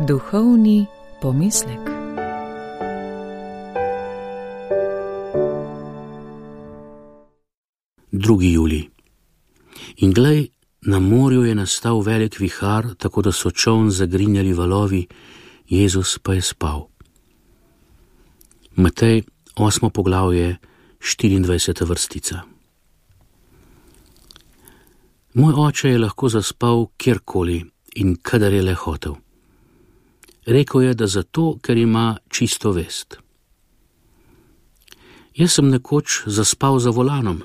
Duhovni pomislek. Drugi julij. In glej, na morju je nastal velik vihar, tako da so čoln zagrinjali valovi, Jezus pa je spal. Matej, 8. poglavje, 24. vrstica. Moj oče je lahko zaspal kjerkoli in kadar je le hotel. Rekel je, da zato, ker ima čisto vest. Jaz sem nekoč zaspal za volanom.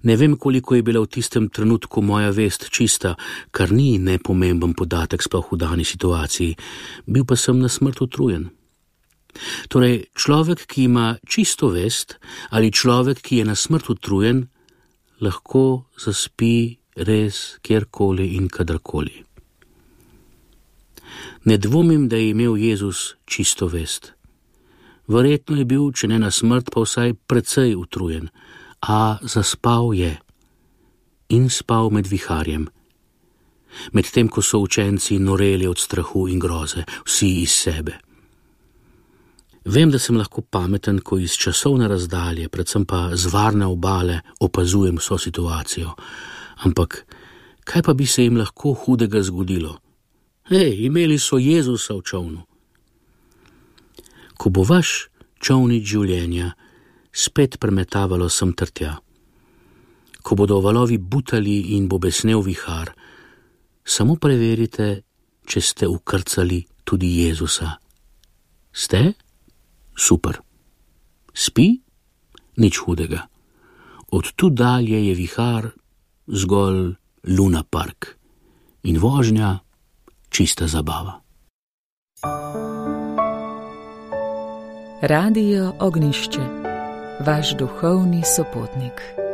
Ne vem, koliko je bila v tistem trenutku moja vest čista, kar ni nepomemben podatek sploh v dani situaciji, bil pa sem na smrt utrujen. Torej, človek, ki ima čisto vest, ali človek, ki je na smrt utrujen, lahko zaspi res kjerkoli in kadarkoli. Ne dvomim, da je imel Jezus čisto vest. Verjetno je bil, če ne na smrt, pa vsaj precej utrujen, a zaspal je in spal med viharjem. Medtem, ko so učenci noreli od strahu in groze, vsi iz sebe. Vem, da sem lahko pameten, ko iz časovne razdalje, predvsem pa z varne obale, opazujem vso situacijo. Ampak, kaj pa bi se jim lahko hudega zgodilo? Imeli so Jezusa v čolnu. Ko bo vaš čolnič življenja spet premetavalo sem ter tja, ko bodo valovi butali in bo besnel vihar, samo preverite, če ste ukrcali tudi Jezusa. Ste? Super. Spi? Nič hudega. Od tu dalje je vihar zgolj Luna Park in vožnja čista zabava. Radio Ognjišče, vaš duhovni sopotnik.